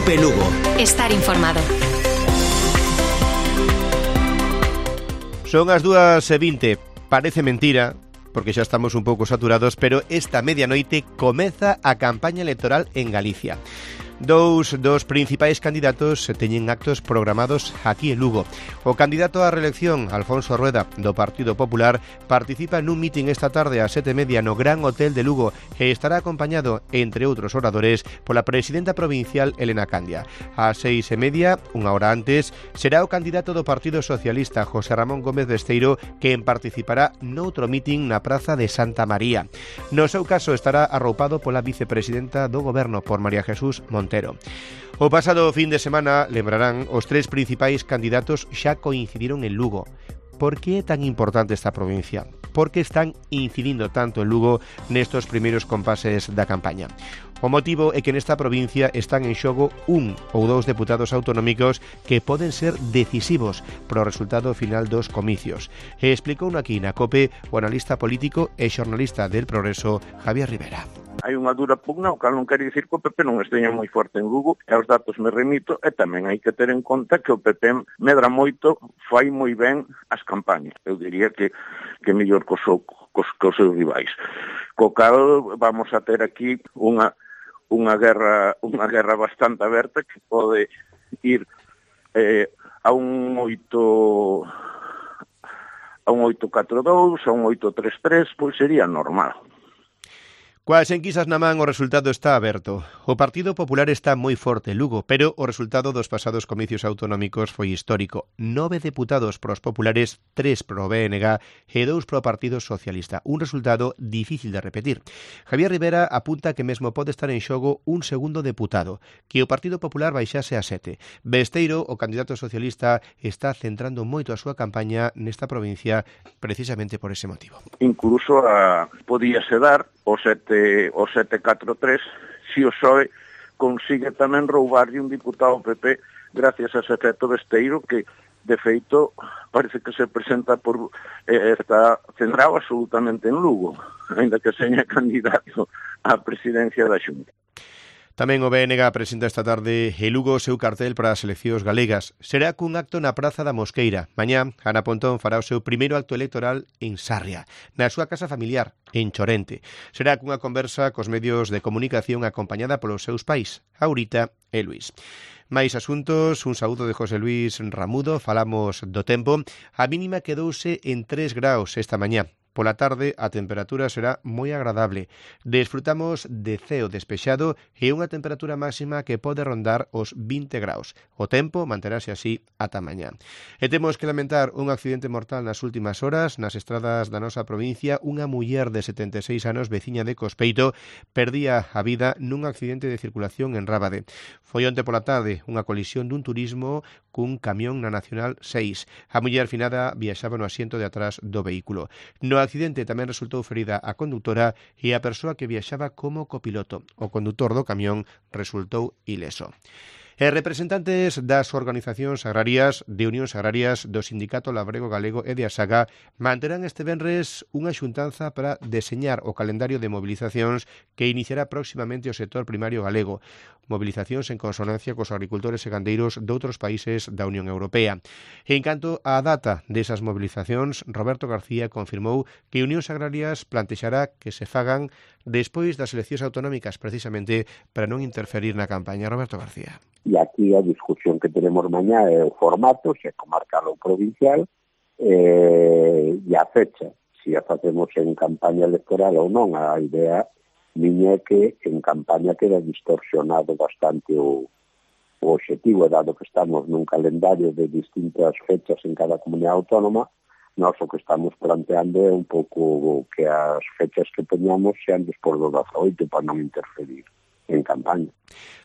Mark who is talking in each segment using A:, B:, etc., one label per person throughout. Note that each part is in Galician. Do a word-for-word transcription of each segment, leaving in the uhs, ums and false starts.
A: Cope Lugo.
B: Estar informado.
C: Son as dúas e vinte. Parece mentira, porque xa estamos un pouco saturados, pero esta medianoite comeza a campaña electoral en Galicia. Dous dos principais candidatos teñen actos programados aquí en Lugo. O candidato á reelección, Alfonso Rueda, do Partido Popular, participa nun mitin esta tarde ás sete e media no Gran Hotel de Lugo e estará acompañado, entre outros oradores, pola presidenta provincial Elena Candia. Ás seis e media, unha hora antes, será o candidato do Partido Socialista, José Ramón Gómez Besteiro, quen participará noutro mitin na Praza de Santa María. No seu caso estará arroupado pola vicepresidenta do Goberno, por María Jesús Montero. O pasado fin de semana, lembrarán, os tres principais candidatos xa coincidiron en Lugo. Por que é tan importante esta provincia? Por que están incidindo tanto en Lugo nestos primeiros compases da campaña? O motivo é que nesta provincia están en xogo un ou dous deputados autonómicos que poden ser decisivos para o resultado final dos comicios. E explicou aquí na COPE o analista político e xornalista del Progreso, Javier Rivera.
D: Hai unha dura pugna, o cal non quere dicir que o P P non esteña moi forte en Lugo, e os datos me remito, e tamén hai que ter en conta que o P P medra moito, fai moi ben as campañas. Eu diría que que mellor cos, cos, cos seus rivais. Co cal vamos a ter aquí unha unha guerra unha guerra bastante aberta que pode ir eh, a un oito a un oito catro dous, a un oito tres tres, pois sería normal.
C: Coas enquisas na man, o resultado está aberto. O Partido Popular está moi forte en Lugo, pero o resultado dos pasados comicios autonómicos foi histórico. Nove deputados pros populares, tres pro B N G e dous pro Partido Socialista. Un resultado difícil de repetir. Javier Rivera apunta que mesmo pode estar en xogo un segundo deputado, que o Partido Popular baixase a sete. Besteiro, o candidato socialista, está centrando moito a súa campaña nesta provincia precisamente por ese motivo.
D: Incluso a, podíase dar o sete o sete catro tres si o P S O E consigue tamén roubarlle un diputado P P gracias a ese efecto Besteiro que de feito parece que se presenta por eh, está centrado absolutamente en Lugo, ainda que seña candidato á presidencia da Xunta.
C: Tamén o B N G presenta esta tarde en Lugo o seu cartel para as eleccións galegas. Será cun acto na Praza da Mosqueira. Mañá, Ana Pontón fará o seu primeiro acto electoral en Sarria, na súa casa familiar, en Chorente. Será cunha conversa cos medios de comunicación acompañada polos seus pais, Aurita e Luís. Mais asuntos, un saúdo de José Luís Ramudo, falamos do tempo. A mínima quedouse en tres graus esta mañá. Pola tarde a temperatura será moi agradable. Desfrutamos de ceo despexado e unha temperatura máxima que pode rondar os vinte graus. O tempo manterase así ata mañá. E temos que lamentar un accidente mortal nas últimas horas nas estradas da nosa provincia. Unha muller de setenta e seis anos, veciña de Cospeito, perdía a vida nun accidente de circulación en Rábade. Foi onte pola tarde unha colisión dun turismo cun camión na Nacional seis. A muller finada viaxaba no asiento de atrás do vehículo. No accidente tamén resultou ferida a conductora e a persoa que viaxaba como copiloto. O condutor do camión resultou ileso. E representantes das organizacións agrarias, de Unións Agrarias, do Sindicato Labrego Galego e de Asaga manterán este venres unha xuntanza para deseñar o calendario de mobilizacións que iniciará próximamente o sector primario galego. Mobilizacións en consonancia cos agricultores e gandeiros doutros países da Unión Europea. En canto á data desas mobilizacións, Roberto García confirmou que Unións Agrarias plantexará que se fagan despois das eleccións autonómicas, precisamente para non interferir na campaña. Roberto García.
E: E aquí a discusión que tenemos mañá é o formato, se é comarcal ou provincial, eh, e a fecha, se a facemos en campaña electoral ou non. A idea miña é que en campaña queda distorsionado bastante o, o objetivo, dado que estamos nun calendario de distintas fechas en cada comunidade autónoma. Nós o que estamos planteando é un pouco que as fechas que teñamos sean despois do dezaoito para non interferir en campaña.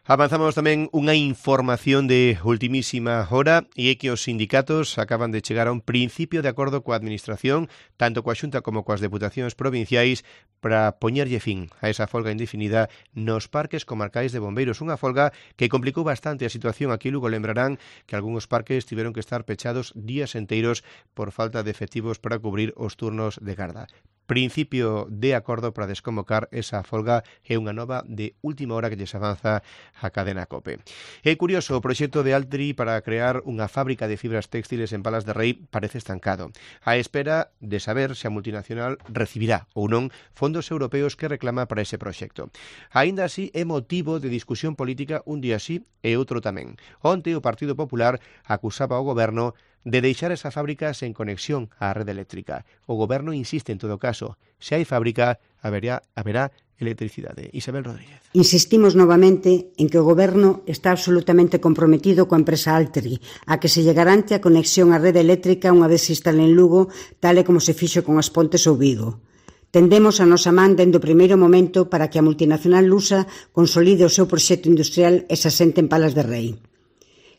C: Avanzamos tamén unha información de ultimísima hora e é que os sindicatos acaban de chegar a un principio de acordo coa Administración, tanto coa Xunta como coas deputacións provinciais, para poñerlle fin a esa folga indefinida nos parques comarcais de bombeiros. Unha folga que complicou bastante a situación. Aquí luego lembrarán que algúns parques tiveron que estar pechados días enteiros por falta de efectivos para cubrir os turnos de garda. principio de acordo para desconvocar esa folga e unha nova de última hora que lles avanza a cadena COPE. É curioso, o proxecto de Altri para crear unha fábrica de fibras textiles en Palas de Rei parece estancado, a espera de saber se a multinacional recibirá ou non fondos europeos que reclama para ese proxecto. Aínda así, é motivo de discusión política un día sí e outro tamén. Onte o Partido Popular acusaba ao goberno de deixar esa fábrica sen conexión á rede eléctrica. O goberno insiste en todo caso, se hai fábrica, haberá, haberá electricidade. Isabel Rodríguez.
A: Insistimos novamente en que o goberno está absolutamente comprometido coa empresa Altri, a que se lle garante a conexión á rede eléctrica unha vez se instale en Lugo, tal e como se fixo con As Pontes ou Vigo. Tendemos a nosa man dende o primeiro momento para que a multinacional lusa consolide o seu proxecto industrial e se asente en Palas de Rei.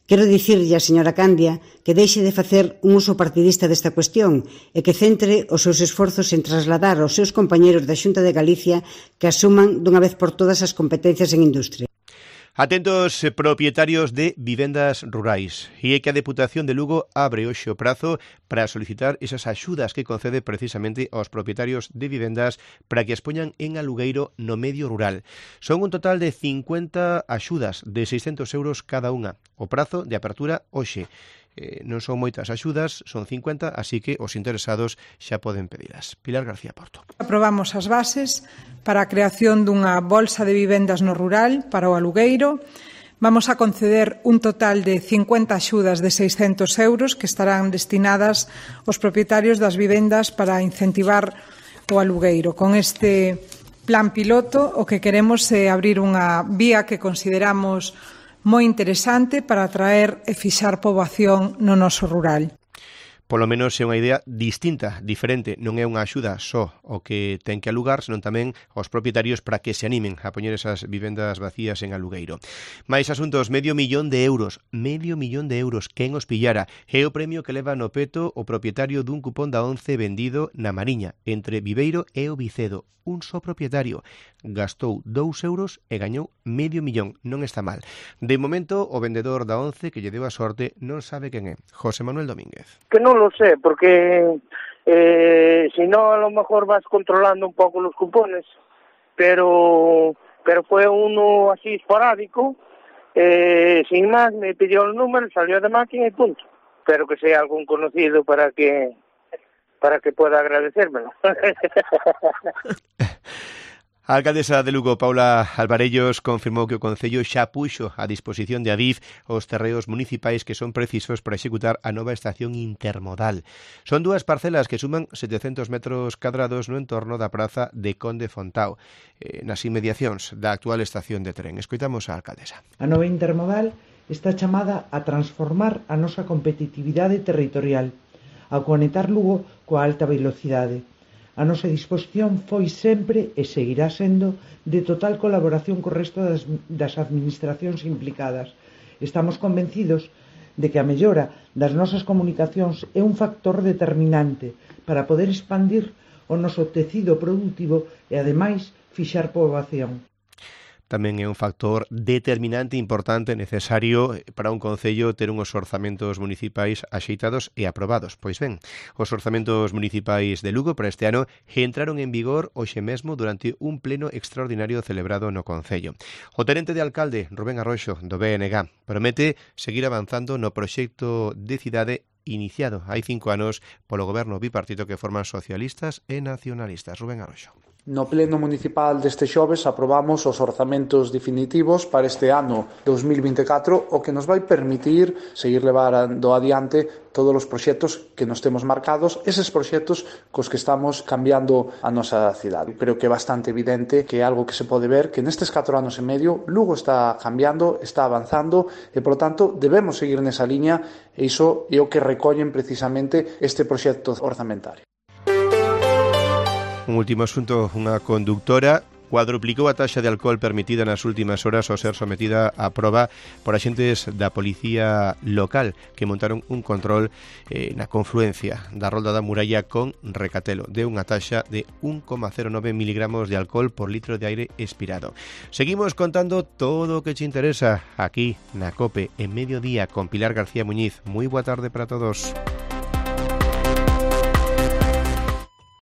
A: Quero dicirlle á señora Candia que deixe de facer un uso partidista desta cuestión e que centre os seus esforzos en trasladar aos seus compañeros da Xunta de Galicia que asuman dunha vez por todas as competencias en industria.
C: Atentos propietarios de vivendas rurais. E é que a Deputación de Lugo abre hoxe o prazo para solicitar esas axudas que concede precisamente aos propietarios de vivendas para que as poñan en alugueiro no medio rural. Son un total de cincuenta axudas de seiscentos euros cada unha. O prazo de apertura hoxe. Eh, non son moitas axudas, son cincuenta, así que os interesados xa poden pedilas. Pilar García Porto.
B: Aprobamos as bases para a creación dunha bolsa de vivendas no rural para o alugueiro. Vamos a conceder un total de cincuenta axudas de seiscentos euros que estarán destinadas aos propietarios das vivendas para incentivar o alugueiro. Con este plan piloto o que queremos é abrir unha vía que consideramos moi interesante para atraer e fixar poboación no noso rural.
C: Polo menos é unha idea distinta, diferente, non é unha axuda só o que ten que alugar, senón tamén aos propietarios para que se animen a poñer esas vivendas vacías en alugueiro. Mais asuntos, medio millón de euros, medio millón de euros, quen os pillara, é o premio que leva no peto o propietario dun cupón da once vendido na Mariña, entre Viveiro e o Vicedo. Un só propietario gastou dous euros e gañou medio millón, non está mal. De momento, o vendedor da once que lle deu a sorte non sabe quen é, José Manuel Domínguez.
F: Que non lo sé, porque eh, si no a lo mejor vas controlando un poco los cupones, pero pero fue uno así esporádico, eh, sin más, me pidió el número, salió de máquina y punto. Espero que sea algún conocido para que para que pueda agradecérmelo.
C: A alcaldesa de Lugo, Paula Alvarellos, confirmou que o Concello xa puxo a disposición de Adif os terreos municipais que son precisos para executar a nova estación intermodal. Son dúas parcelas que suman setecentos metros cadrados no entorno da praza de Conde Fontao, eh, nas inmediacións da actual estación de tren. Escoitamos a alcaldesa.
G: A nova intermodal está chamada a transformar a nosa competitividade territorial, a conectar Lugo coa alta velocidade. A nosa disposición foi sempre e seguirá sendo de total colaboración co resto das, das administracións implicadas. Estamos convencidos de que a mellora das nosas comunicacións é un factor determinante para poder expandir o noso tecido produtivo e, ademais, fixar poboación.
C: Tamén é un factor determinante, importante, necesario para un concello ter unhos orzamentos municipais axeitados e aprobados. Pois ben, os orzamentos municipais de Lugo para este ano entraron en vigor hoxe mesmo durante un pleno extraordinario celebrado no concello. O tenente de alcalde, Rubén Arroxo, do B N G, promete seguir avanzando no proxecto de cidade iniciado hai cinco anos polo goberno bipartito que forman socialistas e nacionalistas. Rubén Arroxo.
H: No pleno municipal deste xoves aprobamos os orzamentos definitivos para este ano dos mil vinte e catro, o que nos vai permitir seguir levando adiante todos os proxectos que nos temos marcados, eses proxectos cos que estamos cambiando a nosa cidade. Creo que é bastante evidente que é algo que se pode ver que nestes catro anos e medio Lugo está cambiando, está avanzando e, por lo tanto, debemos seguir nesa liña e iso é o que recollen precisamente este proxecto orzamentario.
C: Un último asunto, unha conductora cuadruplicou a taxa de alcohol permitida nas últimas horas ao ser sometida a proba por axentes da policía local que montaron un control eh, na confluencia da Rolda da Muralla con Recatelo. Deu unha taxa de un coma cero nove miligramos de alcohol por litro de aire expirado. Seguimos contando todo o que te interesa aquí na COPE en mediodía con Pilar García Muñiz. Moi boa tarde para todos.